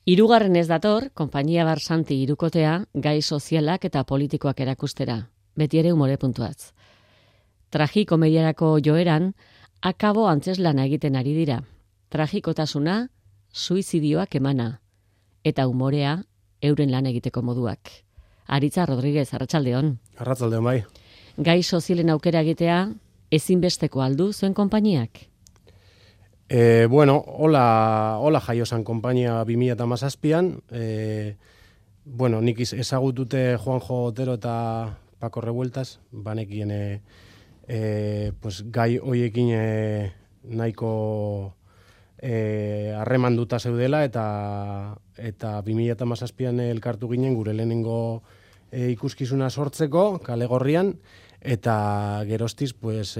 Hirugarren ez dator, konpainia Barsanti hirukotea, gai sozialak eta politikoak erakustera, beti ere umore puntuatz. Tragikomediarako joeran, akabo antzeslana egiten ari dira. Tragikotasuna, suizidioak emana, eta umorea, euren lan egiteko moduak. Aritza Rodríguez, arratsaldeon. Arratsaldeon bai. Gai sozialen aukera egitea, ezinbesteko aldu zuen konpainiak? Bueno, hola jaio zan konpainia 2017an. Bueno, nik ezagutute Juanjo Otero eta Paco Revueltas, banekien pues, gai hoiekin nahiko harremanduta zeudela eta 2017an elkartu ginen gure lehenengo ikuskizuna sortzeko Kale Gorrian, eta geroztiz pues,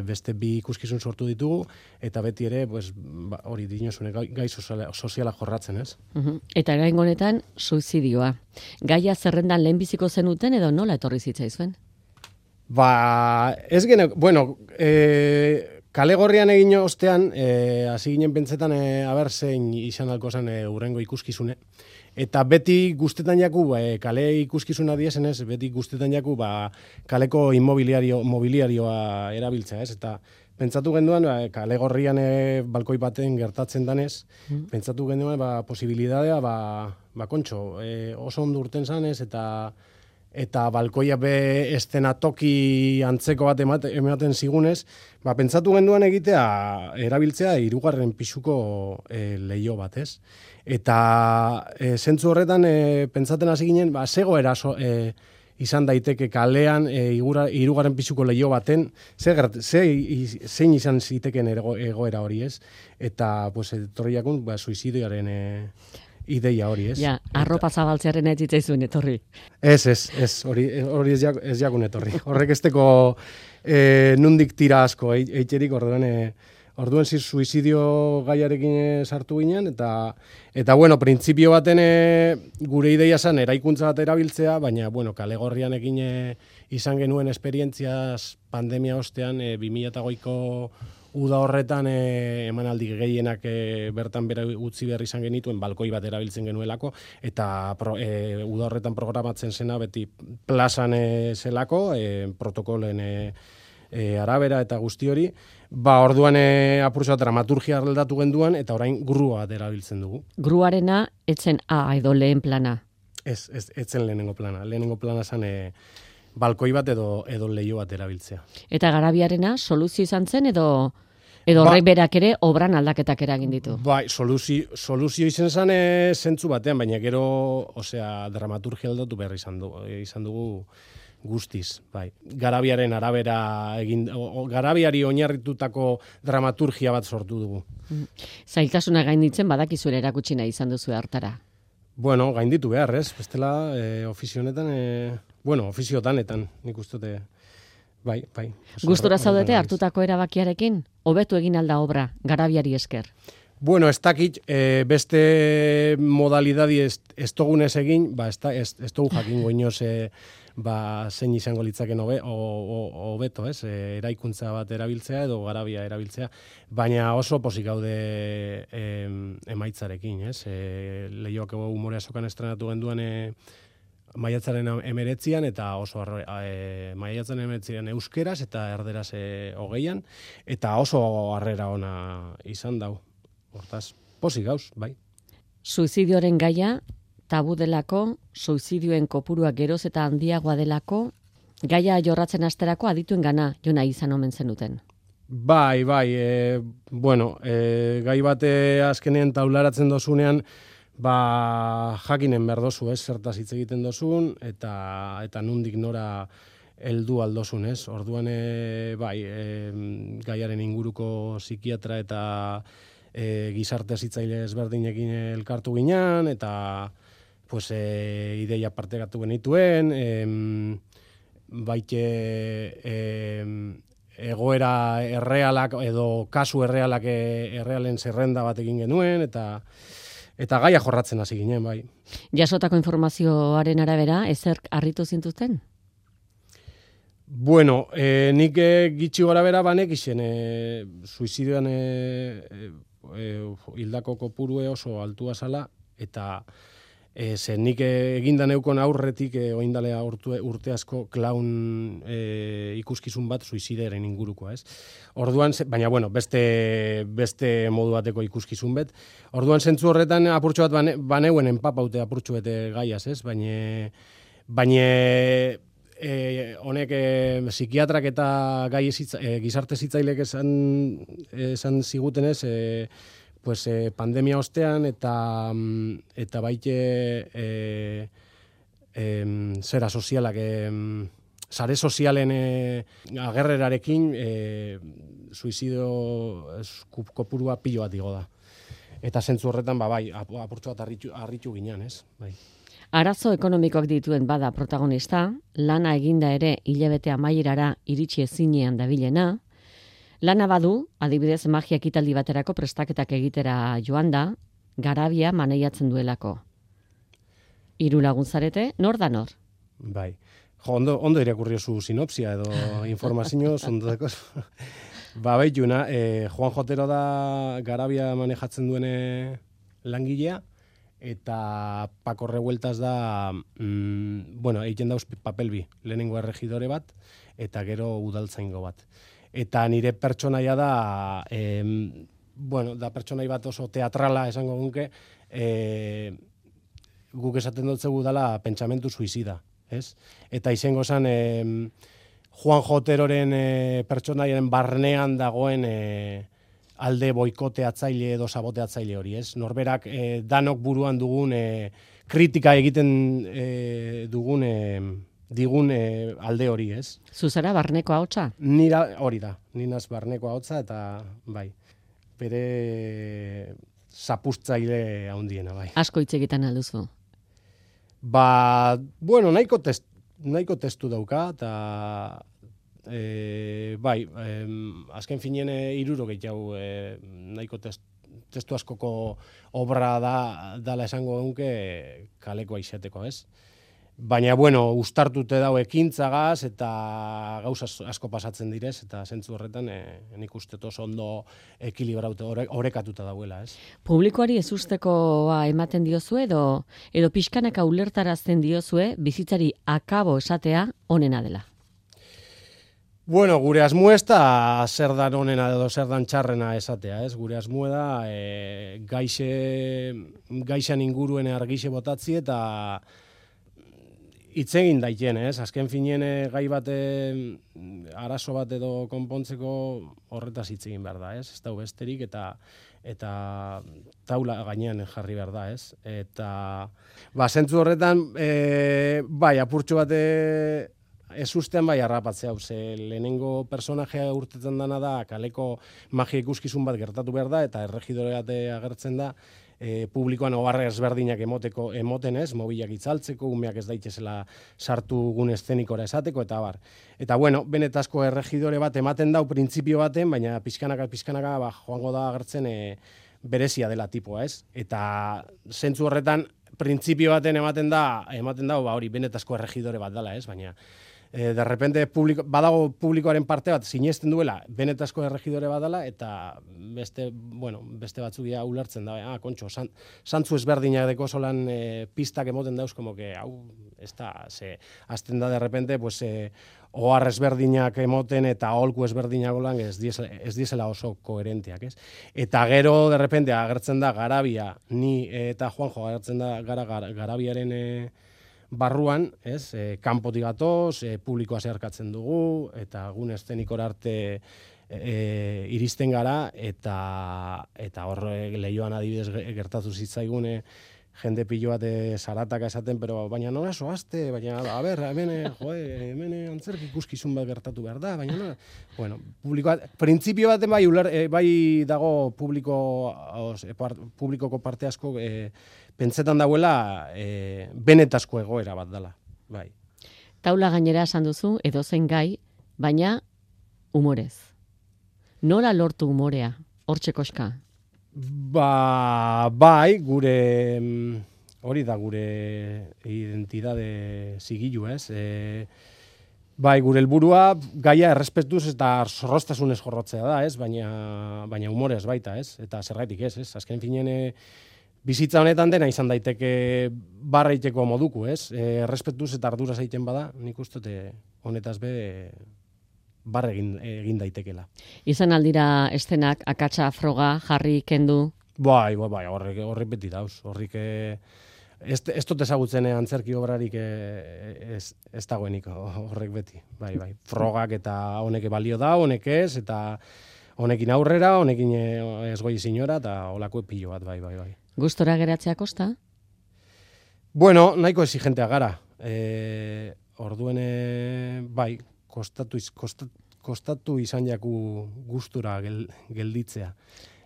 beste bi ikuskizun sortu ditugu, eta beti ere pues, hori dinozune gai soziala jorratzen, ez? Eta gain honetan, suizidioa. Gaia zerrendan lehenbiziko zenuten edo nola etorri zitzaizuen? Ez gene, bueno, Kale Gorrian egin ostean, hasi ginen pentsetan, zein izan alko zen urrengo ikuskizune. Eta beti guztetan jaku, kale ikuskizuna diesenez, beti guztetan jaku, kaleko mobiliarioa erabiltzea, ez? Eta pentsatu genduan, Kale Gorrian balkoi baten gertatzen danez, pentsatu genduan, posibilidadea, kontxo, oso ondo urten zanez, eta balkoia be estenatoki antzeko bat ematen zigunez, pentsatu genduan egitea, erabiltzea, 3. pisuko leio bat, ez? Eta zentzu horretan pentsaten hasi ginen, zegoera izan daiteke kalean 3. pisuko leio baten, zein izan ziteken egoera hori, ez? Eta pues, etorri jakun, suizidioaren ideia hori, ez? Ja, arropa zabaltzearen ez zitzaizuen etorri. Ez, hori ez jakun etorri. Horrek esteko nundik tira asko, eitxerik orduan suizidio gaiarekin sartu ginen, eta bueno, printzipio baten gure ideia zen eraikuntza bat erabiltzea, baina, bueno, Kale Gorrian egin izan genuen esperientziaz pandemia ostean, 2008ko uda horretan emanaldi gehienak bertan bera utzi behar izan genituen, balkoi bat erabiltzen genuelako, eta uda horretan programatzen zena beti plazan zelako, protokolen arabera eta guzti hori, orduan apurtza dramaturgia aldatu genduan, eta orain grua erabiltzen dugu. Gruarena etzen A edo lehen plana? Etzen lehenengo plana. Lehenengo plana zen balkoi bat edo leio bat erabiltzea. Eta Garabiarena soluzio izan zen edo horrek berak ere obran aldaketak eragin ditu? Bai, soluzio izan zen zentzu batean, baina gero, dramaturgia aldatu behar izan dugu guztiz, bai. Garabiaren arabera Garabiari oinarritutako dramaturgia bat sortu dugu. Zailtasuna gainditzen badakizuela erakutsi nahi izan duzu hartara? Bueno, gainditu behar, ez? Bestela, ofizionetan, ofiziotanetan, nik ustote, bai. Gustura zaudete hartutako erabakiarekin? Hobetu egin alda obra, Garabiari esker? Bueno, ez dakit, beste modalidadi ez togunez egin, ez togu jakingo inoz, zein izango litzaken hobeto, ez? Eraikuntza bat erabiltzea edo Garabia erabiltzea, baina oso pozik gaude emaitzarekin, ez? Leioak umorea sokan estrenatu genduan maiatzaren 19an eta oso maiatzaren 19an euskeraz eta erderaz 20an, eta oso harrera ona izan dau. Hortaz, pozik gauz, bai. Suizidioaren gaia tabu delako, suizidioen kopurua geroz eta handiagoa delako, gaia jorratzen asterako adituen gana jona izan omen zenuten. Bai, bueno, gai bate azkenean taularatzen dozunean, jakinen behar dozu, zertaz hitz egiten dozun, eta nundik nora heldu aldozun, ez? Orduan, gaiaren inguruko psikiatra eta gizarte zitzaile ezberdinekin elkartu ginean, eta pues, ideia partekatu genituen, baite egoera errealak edo kasu errealen zerrenda bat egin genuen, eta gaia jorratzen hasi ginen, bai. Jasotako informazioaren arabera, ezerk harritu zintuzten? Bueno, nik gitxi gora bera banek izen suizidioan hildako kopurue oso altua zala, Eta ze nik eginda neukon aurretik oindalea urte asko klaun ikuskizun bat suizideren ingurukoa, ez? Orduan, baina bueno, beste modu bateko ikuskizun bet. Orduan zentzu horretan apurtxo bat baneuen enpapaute apurtxo bete gaiaz, ez? Baina honek psikiatrak eta gizarte zitzailek esan zigutenez, pues pandemia ostean eta baite zera sozialak sare sozialen agerrerarekin suizidio kopurua pilo bat igo da. Eta zentzu horretan bai, apurtxo bat harritu ginen, ez? Bai. Arazo ekonomikoak dituen bada protagonista, lana eginda ere hilabete amaierara iritsi ezinean dabilena. Lana badu, adibidez magia ekitaldi baterako prestaketak egitera joan da, garabia maneiatzen duelako. 3 lagun zarete, nor da nor? Bai. Ondo irakurri zu sinopsia edo informazio sondoteko. Baituna, Juan Jotero da garabia manejatzen duene langilea, eta Paco Revueltas da, egiten dauz papel bi, lehenengo erregidore bat, eta gero udaltzaingo bat. Eta nire pertsonaia da, da pertsonai bat oso teatrala esango gunke, guk esaten dutzegu dela pentsamentu suizida, ez? Eta izango zen Juan Joteroren pertsonaiaren barnean dagoen alde boikoteatzaile edo saboteatzaile hori, ez? Norberak danok buruan dugun kritika egiten digun alde hori, ez? Zuzara barneko ahotsa? Nira hori da, ninaz barneko ahotsa eta bai, bere zapustzaile handiena, bai. Asko hitz egiten alduzu? Nahiko testu dauka, eta azken finien 60 hau nahiko testu askoko obra dala esango dunke kalekoa izateko, ez? Baina, ustartute dau ekintzagaz eta gauza asko pasatzen direz, eta zentzu horretan nik uste oso ondo ekilibraute orekatuta dauela, ez? Publikoari ez ustekoa ematen diozue edo pixkanaka ulertarazten diozue bizitzari akabo esatea onena dela? Gure asmo ez da zer dan onena edo zer dan txarrena esatea, ez? Gure asmo da gaixan inguruen argixe botatzi eta hitz egin daiten, ez? Azken finien gai bat arazo bat edo konpontzeko horretaz hitz egin behar da, ez? Ez da besterik eta taula gainean jarri behar da, ez? Eta zentzu horretan apurtxo bat ez ustean harrapatzea, lehenengo personajea urtetzen dana da kaleko magia ikuskizun bat gertatu behar da, eta erregidore bat agertzen da, publikoan oharre ezberdinak emoten ez, mobilak itzaltzeko, umeak ez daitezela sartu gune eszenikora esateko, eta bar. Eta benetazko erregidore bat ematen dau printzipio baten, baina pixkanaka joango da agertzen berezia dela tipoa, ez? Eta zentzu horretan printzipio baten ematen da hori benetazko erregidore bat dela, ez? Baina de repente badago publikoaren parte bat sinesten duela benetazko erregidore bat dela, eta beste batzuk ja ulertzen da, kontxo, santzu ezberdinak deko solan pistak emoten dauz, como que hau, ez da, azten da de repente, ohar ezberdinak emoten eta aholku ezberdinak olan ez diesela oso koherenteak, ez? Eta gero, de repente, agertzen da Garabia, ni eta Juanjo agertzen da Garabiaren barruan, ez? Kanpotik gatoz, publikoa zeharkatzen dugu, eta gune eszenikora arte iristen gara, eta hor lehioan adibidez gertatu zitzaigune, jende pilo bat zarataka esaten, pero baina nola soazte, baina, hemen antzerki ikuskizun bat gertatu behar da, baina nola, publikoa, printzipio baten bai dago publikoko parte asko pentsetan dauela benetazko egoera bat dela, bai. Taula gainera esan duzu, edozein gai, baina humorez. Nola lortu humorea, hortxe koska? Bai, hori da gure identidade zigilu, ez? Bai, gure helburua gaia errespetuz eta zorroztasunez jorrotzea da, ez? Baina humorez baita, ez? Eta zergaitik ez? Azken finien bizitza honetan dena izan daiteke barreiteko moduko, ez? Errespetuz eta ardura zaiten bada, nik uste honetaz barre egin daitekela. Izan aldira estenak, akatsa, froga, jarri, kendu? Bai, horrek beti dauz. Horrik ez dut ezagutzen antzerki obrarik ez dagoenik horrek beti. Bai. Frogak eta honek balio da, honek ez, eta honekin aurrera, honekin ez goi zinora, eta holako pilo bat, bai. Gustora geratzea kosta? Bueno, nahiko exigentea gara. Orduen, bai, kostatu izan jaku gustura gelditzea.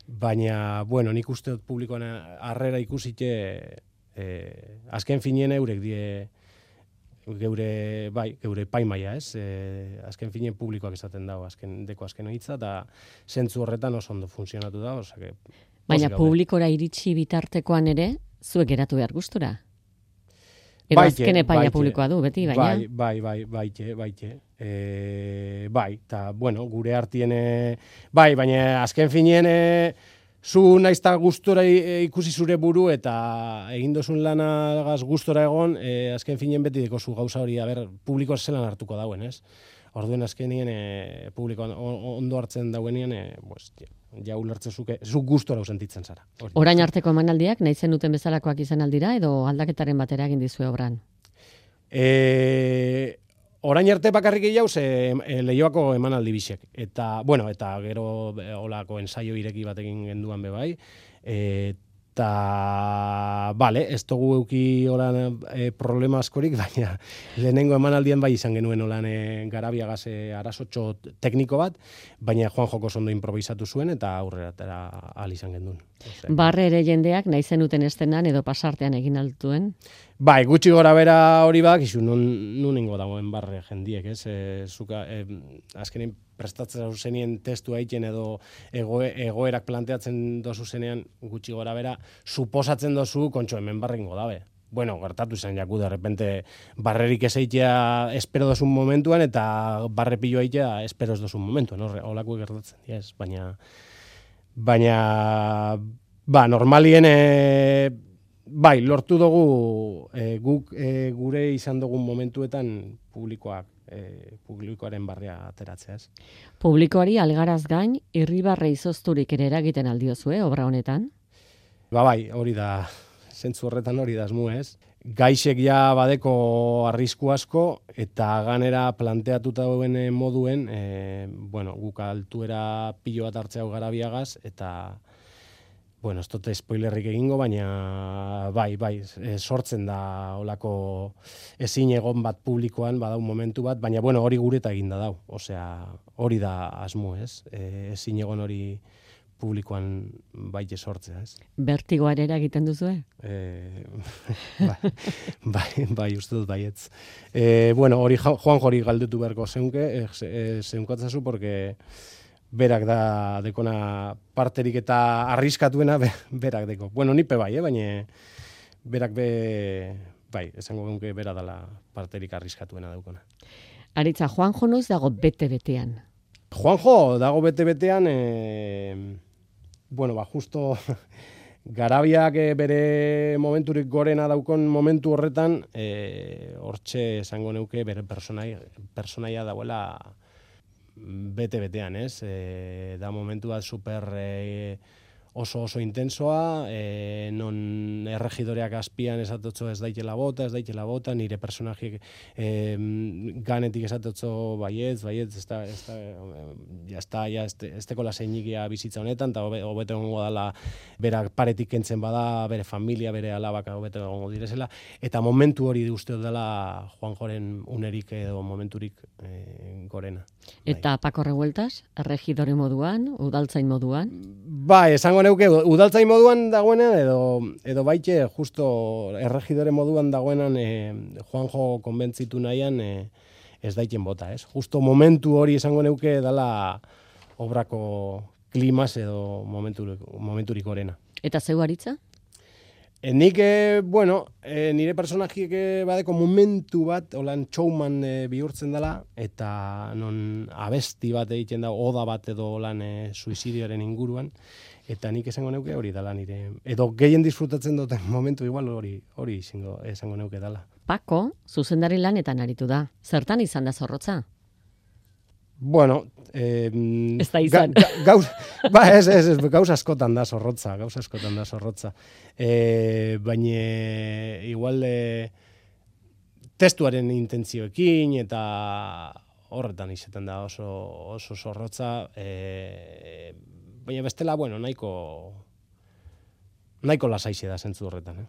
Baina, bueno, nik uste dut publikoan harrera ikusite, azken finien eurek geure paimaia, ez? Azken finien publikoak esaten dago, azken hitza, eta zentzu horretan oso ondo funtzionatu da, osake. Baina publikora iritsi bitartekoan ere, zuek geratu behar gustura? Edo azken epaia publikoa du, beti, baina? Baite. Bai, eta, bueno, gure artien, baina azken finien, zu naizta gustora ikusi zure buru eta egin dozun lanagaz gustora egon, azken finien beti deko zu gauza hori, publikoa zelan hartuko dauen, ez? Orduen azkenien publikoan ondo hartzen dauenean, ja ulertzen zu gustora sentitzen zara. Orain arteko emanaldiak, nahi zen duten bezalakoak izan aldira, edo aldaketaren batera egin dizue obran? Orain arte bakarrik gehiago Leioako emanaldi bisek. Eta gero olako ensaio ireki batekin genduan bebai. Eta, ez dugu euki olan problema askorik, baina lehenengo emanaldian bai izan genuen olan Garabiagaz arazotxo tekniko bat, baina Juan Joko ondo improvisatu zuen eta aurrera ahal izan genuen. Barre ere jendeak nahi zenuten estenan edo pasartean egin altuen? Bai, gutxi gora bera hori bak, nun ingo dagoen barre jendiek, ez? Azkenean prestatzen zenien testu haiten edo egoerak planteatzen dozu zenean gutxi gora bera, suposatzen dozu kontxo hemen barrengo dabe. Bueno, gertatu izan jaku, de repente barrerik ez eitea espero dozun momentuan eta barre pillo eitea espero ez dozun momentuan, holako gertatzen, yes, baina normalien bai, lortu dugu guk gure izan dugun momentuetan publikoaren barria ateratzea, ez? Publikoari algaraz gain, irribarre izozturik ere eragiten aldiozue, obra honetan? Bai, hori da, zentzu horretan hori da asmu, ez? Gaixek ja badeko arrisku asko, eta ganera planteatuta dauen moduen, guk altuera pilo bat hartzea Garabiagaz, eta ez dute spoilerrik egingo, baina bai, sortzen da olako ezin egon bat publikoan, badau momentu bat, baina hori gureta eginda dau. Osea, hori da asmo, ez? Ezin egon hori publikoan baite sortzea, ez? Bertigoa ere egiten duzue? Bai, uste dut baietz. Hori Juan Jori galdetu beharko zeunkatzazu, porque berak da dekona parterik eta arriskatuena berak deko. Nipe bai, baina berak esango genuke bera dala parterik arriskatuena daukona. Aritza, Juanjo noiz dago bete-betean? Juanjo dago bete-betean, justo Garabiak bere momenturik gorena daukon momentu horretan, hortxe esango neuke bere personaia dagoela bete-betean, ez? Da momentu bat super oso intensoa, non erregidoreak azpian esatotzo ez daitela bota, nire personajiek ganetik esatotzo baietz, ez teko laseinikia bizitza honetan, eta hobeto egongo dala berak paretik kentzen bada, bere familia, bere alabak hobeto egongo direzela, eta momentu hori uste dela Juanjoren unerik edo momenturik gorena. Eta Paco Revueltas, erregidore moduan, udaltzain moduan? Esango neuke, udaltzain moduan dagoenan, edo baite, justo erregidore moduan dagoenan Juanjo konbentzitu nahian ez daiten bota, ez? Justo momentu hori esango neuke dala obrako klimas edo momenturik gorena. Eta zeu Aritza? Nik, nire personajiek badeko momentu bat, holan showman bihurtzen dela, eta non abesti bat egiten da, oda bat edo holan suizidioaren inguruan, eta nik esango neuke hori dela nire, edo gehien disfrutatzen duten momentu igual hori esango neuke dela. Pako, zuzendari lanetan aritu da. Zertan izan da zorrotza? Bueno, ez da izan. Gauz askotan da zorrotza. Baina igual testuaren intentzioekin eta horretan izaten da oso zorrotza. Baina bestela, nahiko lasaixe da zentzu horretan.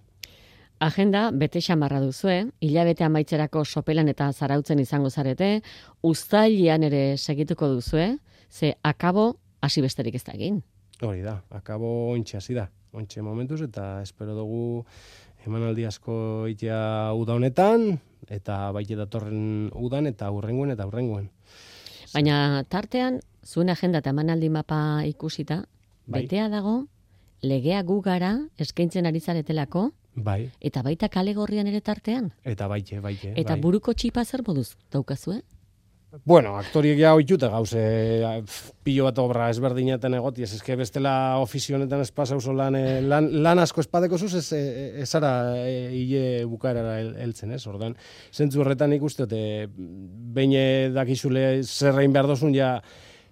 Agenda bete xamarra duzue, hilabete amaitzerako sopelan eta zarautzen izango zarete, uztailean ere segituko duzue, ze akabo hasi besterik ez da egin. Hori da, akabo ontxe hasi da, ontxe momentuz, eta espero dugu emanaldi asko itea uda honetan, eta baite datorren udan, eta hurrengoen. Baina tartean, zuen agenda eta emanaldi mapa ikusita, betea dago, legea gu gara eskaintzen ari zaretelako, Bai. Eta baita kale gorrian ere tartean? Eta baite. Eta buruko txipa zer moduz daukazue? Bueno, aktoriek ja oituta gauze pilo bat obra ezberdinaten egoti, ez eske bestela ofizio honetan ez pasa oso lan asko espadeko zuz, ez ara hile bukaerara heltzen, ez? Ordan, zentzu horretan ikuste, behin dakizule zerrein behar dozun, ja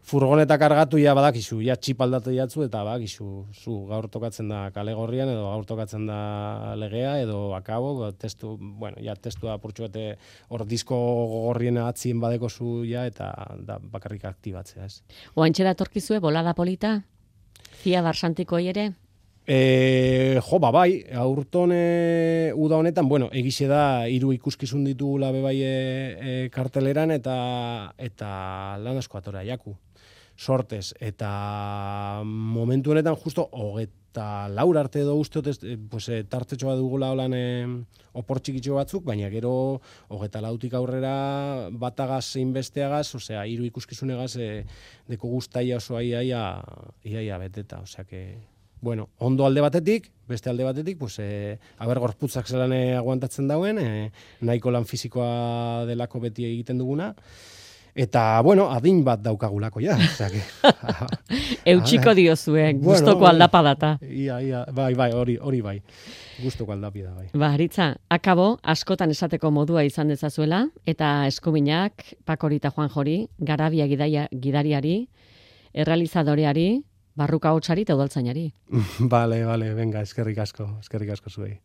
furgoneta kargatu ja badakizu, ja txip aldatu jatzu, eta badakizu, zu gaur tokatzen da kale gorrian, edo gaur tokatzen da legea, edo akabo, testua apurtxu bate hor disko gorrien atzien badeko zu, ja, eta da bakarrik aktibatzea, ez. Oantxe datorkizue, bolada polita? Zia barsantiko ere? Bai, aurton uda honetan, egixe da, 3 ikuskizun ditugula bebai karteleran, eta lan asko atora jaku. Sortez, eta momentu honetan justo 24 arte edo usteot tartetxoa dugula holan opor txikitxo batzuk, baina gero 24tik aurrera batagaz zein besteagaz, 3 ikuskizunegaz deko guztaia oso iaia beteta, ondo alde batetik, beste alde batetik, aber gorputzak zelan aguantatzen dauen, nahiko lan fisikoa delako beti egiten duguna, eta, adin bat daukagulako, ja. Eutxiko diozuen, gustoko aldapadata. Bai, hori bai. Gustoko aldapida, bai. Aritza, akabo, askotan esateko modua izan dezazuela, eta eskuminak, Pakorita Juan Jori, Garabia gidariari, errealizadoreari, barruka hotsari eta udaltzainari. Vale, venga, eskerrik asko zuei.